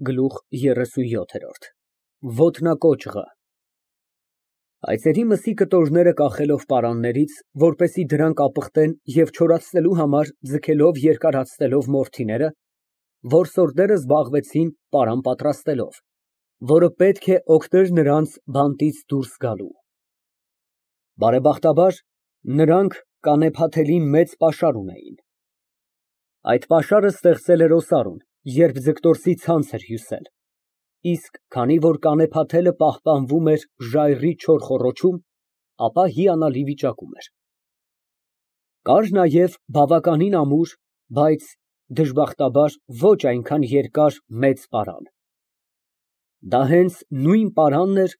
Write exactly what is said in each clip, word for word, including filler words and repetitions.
Գլուխ երեսունյոթ։ Ոտնակոճղը Հայծերի մսի կտորները կախելով պարաններից, որպեսզի դրանք ապխտեն և չորացնելու համար ձգելով երկարացնելով մորթիները, որսորդները զբաղվեցին պարան պատրաստելով, որը պետք է օգներ նրանց բանտից դուրս գալու։ Բարեբախտաբար, նրանք կանեփաթելի մեծ պաշար ունեին։ Այդ պաշարը ստեղծել էր օսարուն, երբ ձգտորսի ցանց էր հյուսել, իսկ քանի որ կանեփաթելը պահպանվում էր ժայռի չոր խոռոչում, ապա հիանալի վիճակում էր։ Կար նաև բավականին ամուր, բայց, դժբախտաբար, ոչ այնքան երկար մեծ պարան։ Դա հենց նույն պարանն էր,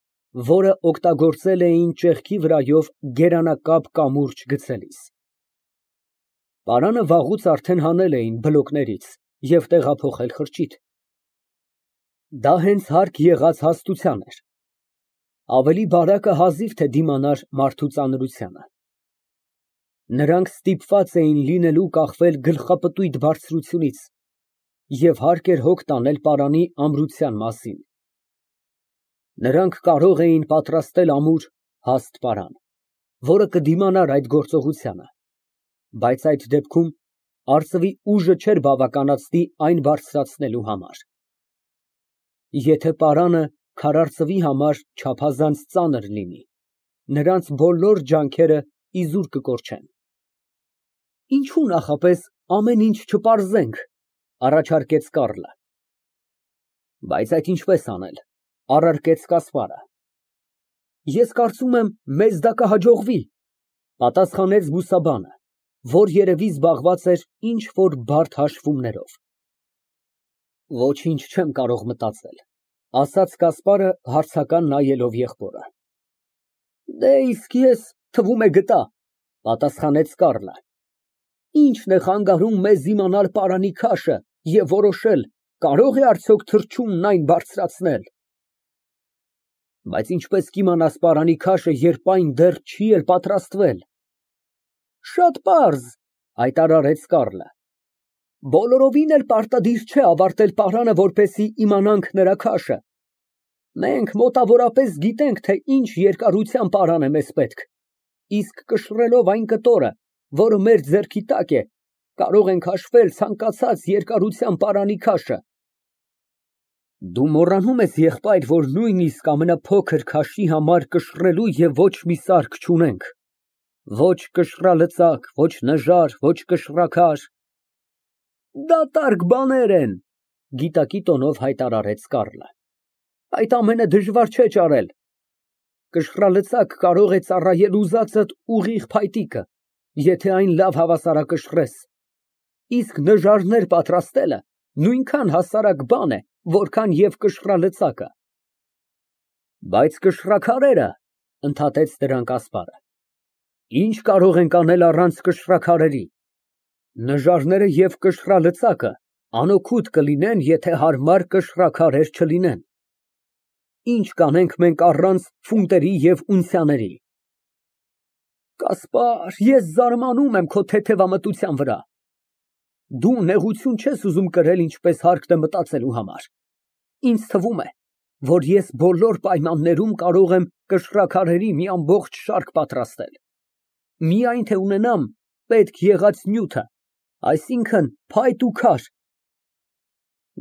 որը օգտագործել էին ճեղքի վրայով գերանակապ կամուրջ գցելիս։ Պարանը վաղուց արդեն հանել էին բլոկներից և տեղափոխել խրճիթ։ Դա հենց հարկ եղած հաստության էր։ Ավելի բարակը հազիվ թե դիմանար մարդու ծանրությանը։ Նրանք ստիպված էին լինելու կախվել գլխապտույտ բարձրությունից և հարկ էր հոգ տանել պարանի ամրության մասին։ Նրանք կարող էին պատրաստել ամուր, հաստ պարան, որը կդիմանար այդ գործողությանը, բայց այդ դեպքում արծվի ուժը չէր բավականացնի այն բարձրացնելու համար։ Եթե պարանը քարարծվի համար չափազանց ծանր լինի, նրանց բոլոր ջանքերը իզուր կկորչեն։ Ինչո՞ւ նախապես ամեն ինչ չպարզենք, ֊ առաջարկեց Կառլը։ Բայց այդ ինչպես անել, ֊ առարկեց Կասպարը։ Ես կարծում եմ, մեզ դա կհաջողվի, ֊ պատասխանեց բուսաբանը, որ երևի զբաղված էր ինչ֊որ բարդ հաշվումներով։ Ոչինչ չեմ կարող մտածել, ֊ ասաց Կասպարը, հարցական նայելով եղբորը։ Դե, իսկ ես, թվում է, գտա, ֊ պատասխանեց Կառլը։ Ի՞նչն է խանգարում մեզ իմանալ պարանի քաշը և որոշել՝ կարո՞ղ է արդյոք թռչունն այն բարձրացնել։ Բայց ինչպես կիմանաս պարանի քաշը, երբ այն դեռ չի էլ պատրաստվել։ Շատ պարզ, ֊ հայտարարեց Կառլը։ Բոլորովին էլ պարտադիր չէ ավարտել պարանը, որպեսզի իմանանք նրա քաշը։ Մենք մոտավորապես գիտենք, թե ինչ երկարության պարան է մեզ պետք, իսկ կշռելով այն կտորը, որը մեր ձեռքի տակ է, կարող ենք հաշվել ցանկացած երկարության պարանի քաշը։ Դու մոռանում ես, եղբայր, որ նույնիսկ ամենափոքր քաշի համար կշռելու և ոչ մի սարք չունենք, ոչ կշռալծակ, ոչ նժար, ոչ կշռաքար։ Դատարկ բաներ են, ֊ գիտակի տոնով հայտարարեց Կառլը։ Այդ ամենը դժվար չէ ճարել։ Կշռալծակ կարող է ծառայել ուզածդ ուղիղ փայտիկը, եթե այն լավ հավասարակշռես, իսկ նժարներ պատրաստելը նույնքան հասարակ բան է, որքան և կշռալծակը։ Բայց կշռաքարերը, ֊ ընդհատեց դրան Կասպարը, ինչ կարող ենք անել առանց կշռաքարերի։ Նժարները և կշռալծակը անօգուտ կլինեն, եթե հարմար կշռաքարեր չլինեն։ Ինչ կանենք մենք առանց ֆունտերի և ունցիաների։ Կասպար, ես զարմանում եմ քո թեթևամտության վրա։ Դու նեղություն չես ուզում կրել ինչպես հարկն է մտածելու համար։ Ինձ թվում է, որ ես բոլոր պայմաններում կարող եմ կշռաքարերի մի ամբողջ շարք պատրաստել, միայն թե ունենամ պետք եղած նյութը, այսինքն՝ փայտ ու քար։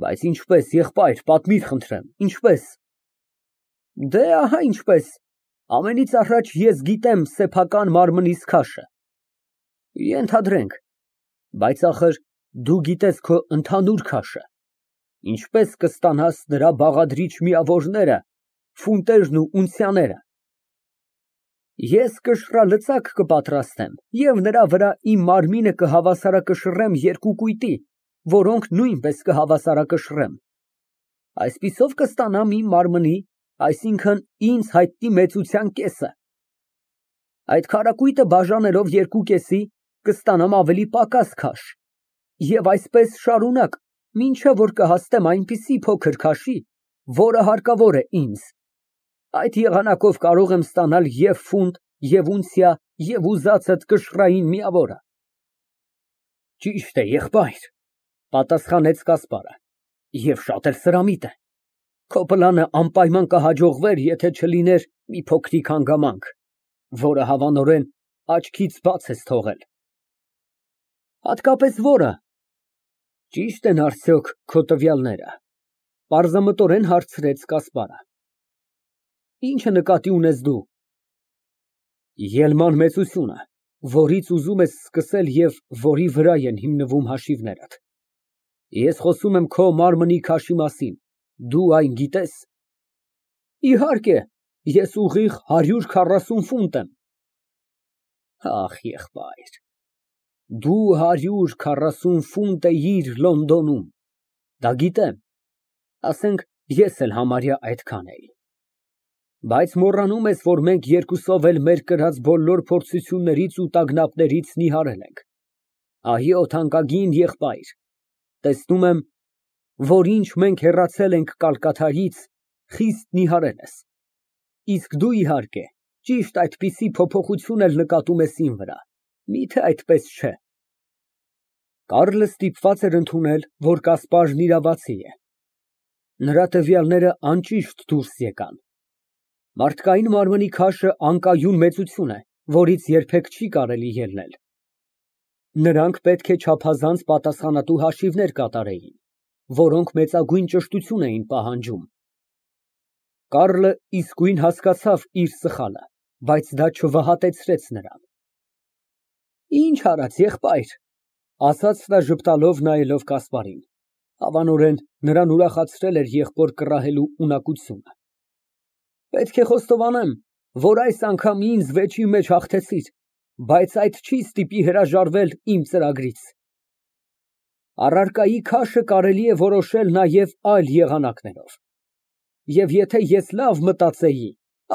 Բայց ինչպես, եղբայր, պատմիր խնդրեմ, ինչպես։ Դե, ահա ինչպես, ամենից առաջ ես գիտեմ սեփական մարմնիս քաշը։ Ենթադրենք, բայց ախր դու գիտես քո ընդհանուր քաշը, ինչպես կստանաս նրա բաղադրիչ միավորները, ֆունտերն ու ունցիաները։ Ես կշռալծակ կպատրաստեմ և նրա վրա իմ մարմինը կհավասարակշռեմ երկու կույտի, որոնք նույնպես կհավասարակշռեմ։ Այսպիսով կստանամ իմ մարմնի, այսինքն ինձ հայտնի մեծության կեսը։ Այդ քառակույտը բաժանելով երկու կեսի, կստանամ ավելի պակաս քաշ, և այսպես շարունակ, մինչև որ կհասնեմ այնպիսի փոքր քաշի, որը հարկավոր է ինձ։ Այդ եղանակով կարող եմ ստանալ և ֆունտ, և ունցիա, և ուզածդ կշռային միավորը։ Ճիշտ է, եղբայր, ֊ պատասխանեց Կասպարը, Եվ շատ էլ սրամիտ է։ Քո պլանը անպայման կհաջողվեր, եթե չլիներ մի փոքրիկ հանգամանք, որը հավանորեն աչքից բաց ես թողել։ Հատկապես որը։ Ճի՞շտ են արդյոք քո տվյալները, պարզամտորեն հարցրեց Կասպարը։ Ի՞նչը նկատի ունես դու։ Ելման մեծությունը, որից ուզում ես սկսել և որի վրա են հիմնվում հաշիվներդ։ Ես խոսում եմ քո մարմնի քաշի մասին, դու այն գիտե՞ս։ Իհարկե, ես ուղիղ հարյուր քառասուն ֆունտ եմ։ Ախ, եղբայր, դու հարյուր քառասուն ֆունտ էիր Լոնդոնում, դա գիտեմ, ասենք, ես էլ համարյա այդքան էի, բայց մոռանում ես, որ մենք երկուսով էլ մեր կրած բոլոր փորձություններից ու տագնապներից նիհարել ենք։ Այո, թանկագին եղբայր, տեսնում եմ, որ ինչ մենք հեռացել ենք Կալկաթայից, խիստ նիհարել ես, իսկ դու, իհարկե, ճիշտ այդպիսի փոփոխություն էլ նկատում ես իմ վրա, մի՞թե այդպես չէ։ Կարլը ստիպված էր ընդունել, որ Կասպարն իրավացի է։ Նրա տվյալները անճիշտ դուրս եկան։ Մարդկային մարմնի քաշը անկայուն մեծություն է, որից երբեք չի կարելի ելնել։ Նրանք պետք է չափազանց պատասխանատու հաշիվներ կատարեին, որոնք մեծագույն ճշտություն էին պահանջում։ Կարլը իսկույն հասկացավ իր սխալը, բայց դա չվհատեցրեց նրան։ Ինչ արած, եղբայր, ասաց նա ժպտալով նայելով Կասպարին, հավանորեն նրան ուրախացրել էր եղբոր կռահելու ունակությունը։ Պետք է խոստովանեմ, որ այս անգամ ինձ վեճի մեջ հաղթեցիր, բայց այդ չի ստիպի հրաժարվել իմ ծրագրից։ Առարկայի քաշը կարելի է որոշել նաև այլ եղանակներով։ Եվ եթե ես լավ մտածեի,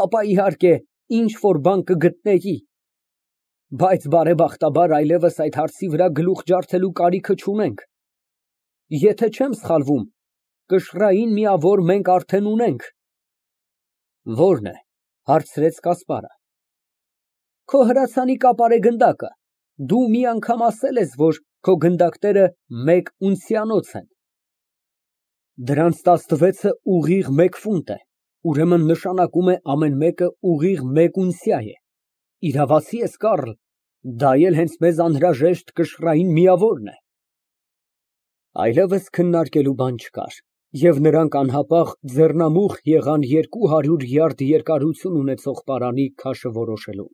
ապա իհարկե ինչ֊որ բան կգտնեի, բայց բարեբախտաբար այլևս այդ հարցի վրա գլուխ ջարդելու կարիքը չունենք։ Եթե չեմ սխալվում, կշռային միավոր մենք արդեն ունենք։ Ո՞րն է, հարցրեց Կասպարը։ Քո հրացանի կապարե գնդակը, դու մի անգամ ասել ես, որ քո գնդակները մեկ ունցիանոց են։ Դրանց տասնվեցը ուղիղ մեկ ֆունտ է, ուրեմն նշանակում է ամեն մեկը ուղիղ մեկ ունցիա է։ Իրավացի ես, Կարլ, դա էլ հենց մեզ անհրաժեշտ կշռային միավորն է։ Այլևս քննարկելու բան չկար, և նրանք անհապաղ ձեռնամուխ եղան երկու հարյուր յարդ երկարություն ունեցող պարանի քաշը որոշելու։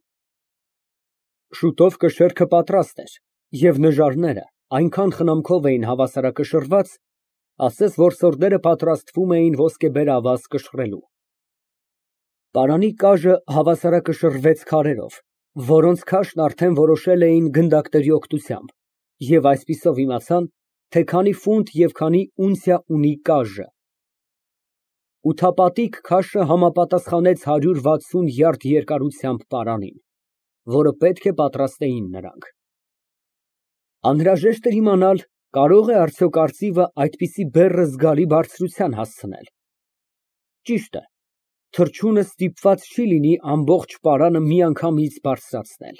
Շուտով կշեռքը պատրաստ էր, և նժարները այնքան խնամքով էին հավասարակշռված, ասես որսորդները պատրաստվում էին ոսկեբեր ավազ կշռելու։ Պարանի կաժը հավասարակշռվեց քարերով, որոնց քաշն արդեն որոշել էին գնդակների օգնությամբ, և այսպիսով իմացան, թե քանի ֆունտ և քանի ունցիա ունի կաժը։ Ութապատիկ քաշը համապատասխանեց հարյուր վաթսուն յարդ երկարությամբ պարանին, որը պետք է պատրաստեին նրանք։ Անհրաժեշտ էր իմանալ, կարո՞ղ է արդյոք արծիվը այդպիսի բեռը զգալի բարձրության հասցնել։ Ճիշտ է, թռչունը ստիպված չի լինի ամբողջ պարանը միանգամից բարձրացնել,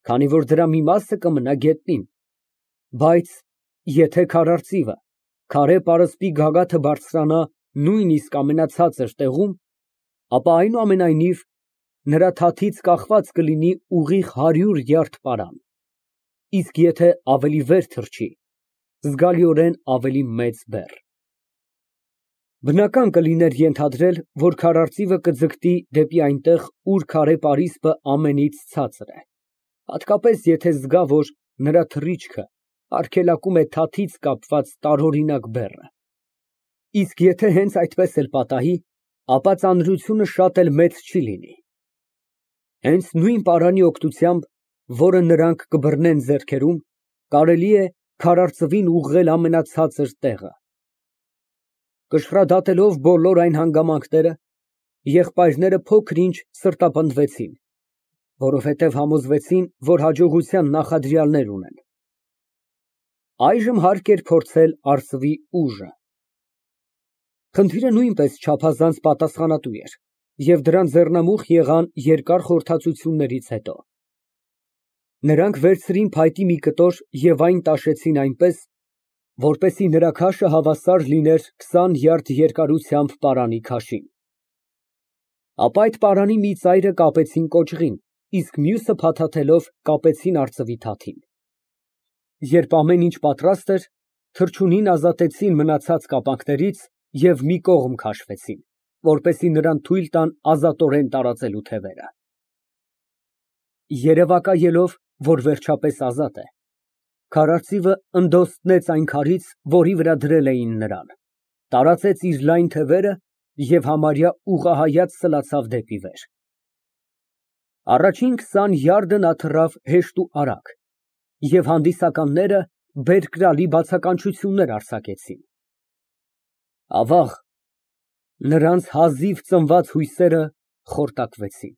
քանի որ դրա մի մասը կմնա գետնին, բայց եթե քարարծիվը քարե պարսպի գագաթը բարձրանա նույնիսկ ամենացածր տեղում, ապա այնուամենայնիվ նրա թաթից կախված կլինի ուղիղ հարյուր յարդ պարան, իսկ եթե ավելի վեր թռչի, զգալիորեն ավելի մեծ բեռ։ Բնական կլիներ ենթադրել, որ քարարծիվը կձգտի դեպի այնտեղ, ուր քարե պարիսպը ամենից ցածր է, հատկապես եթե զգա, որ նրա թռիչքը արգելակում է թաթից կապված տարօրինակ բեռը։ Իսկ եթե հենց այդպես էլ պատահի, ապա ծանրությունը շատ էլ մեծ չի լինի։ Հենց նույն պարանի օգնությամբ, որը նրանք կբռնեն ձեռքերում, կարելի է քարարծվին ուղղել ամենացածր տեղը։ Կշռադատելով բոլոր այն հանգամանքները, եղբայրները փոքր-ինչ սրտապնդվեցին, որովհետև համոզվեցին, որ հաջողության նախադրյալներ ունեն։ Այժմ հարկ էր փորձել արծվի ուժը։ Խնդիրը նույնպես չափազանց պատասխանատու էր, և դրան ձեռնամուխ եղան երկար խորհրդածություններից հետո։ Նրանք վերցրին փայտի մի կտոր և այն տաշեցին այնպես, որպեսզի նրա քաշը հավասար լիներ քսան յարդ երկարությամբ պարանի քաշին։ Ապա այդ պարանի մի ծայրը կապեցին կոճղին, իսկ մյուսը փաթաթելով կապեցին արծվի թաթին։ Երբ ամեն ինչ պատրաստ էր, թռչունին ազատեցին մնացած կապանքներից և մի կողմ քաշվեցին, որպեսզի նրան թույլ տան ազատորեն տարածելու թևերը։ Երևակայելով, որ վերջապես ազատ է, քարարծիվը ընդոստեց այն քարից, որի վրա դրել էին նրան, տարածեց իր լայն թևերը և համարյա ուղղահայաց սլացավ դեպի վեր։ Առաջին քսան յարդը նա թռավ հեշտ ու արագ, և հանդիսականները բերկրալի բացականչություններ արձակեցին։ Ավաղ, նրանց հազիվ ծնված հույսերը խորտակվեցին։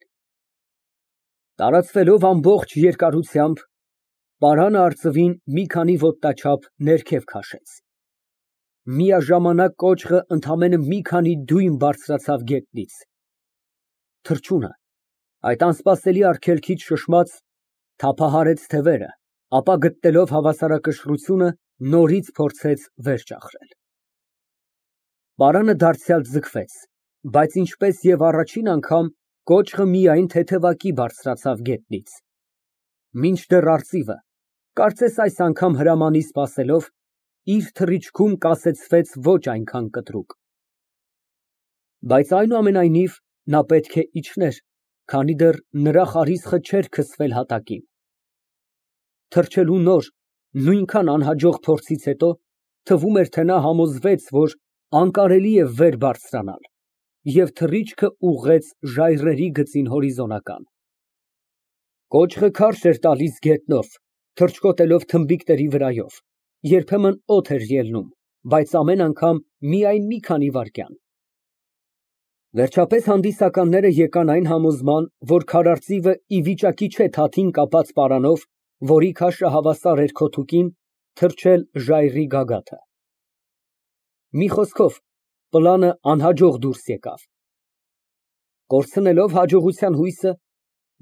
Տարածվելով ամբողջ երկարությամբ, պարանը արծվին մի քանի ոտնաչափ ներքև քաշեց։ Միաժամանակ կոճղը ընդամենը մի քանի դյույմ բարձրացավ գետնից։ Թռչունը, այդ անսպասելի արգելքից շշմած, թափահարեց թևերը, ապա գտնելով հավասարակշռությունը, նորից փորձեց վեր ճախրել։ Պարանը դարձյալ ձգվեց, բայց ինչպես և առաջին անգամ, կոճղը միայն թեթևակի բարձրացավ գետնից, մինչդեռ արծիվը, կարծես այս անգամ հրամանի սպասելով, իր թռիչքում կասեցվեց ոչ այնքան կտրուկ։ Բայց այնուամենայնիվ, նա պետք է իջներ, քանի դեռ նրա խարիսխը չէր քսվել հատակին։ Թռչելու նոր, նույնքան անհաջող փորձից հետո, թվում էր, թե նա համոզվեց, որ անկարելի է վեր բարձրանալ, և թռիչքը ուղղեց ժայռերի գծին հորիզոնական։ Կոճղը քարշ էր տալիս գետնով, թռչկոտելով թմբիկների վրայով, երբեմն օդ էր ելնում, բայց ամեն անգամ միայն մի քանի վայրկյան։ Վերջապես հանդիսականները եկան այն համոզման, որ քարարծիվը ի վիճակի չէ թաթին կապած պարանով, որի քաշը հավասար էր քոթուկին, թռչել ժայռի գագաթը։ Մի խոսքով, պլանը անհաջող դուրս եկավ։ Կորցնելով հաջողության հույսը,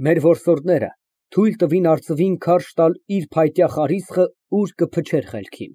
մեր որսորդները թույլ տվին արծվին քարշ տալ իր փայտյա խարիսխը ուր կփչեր խելքին։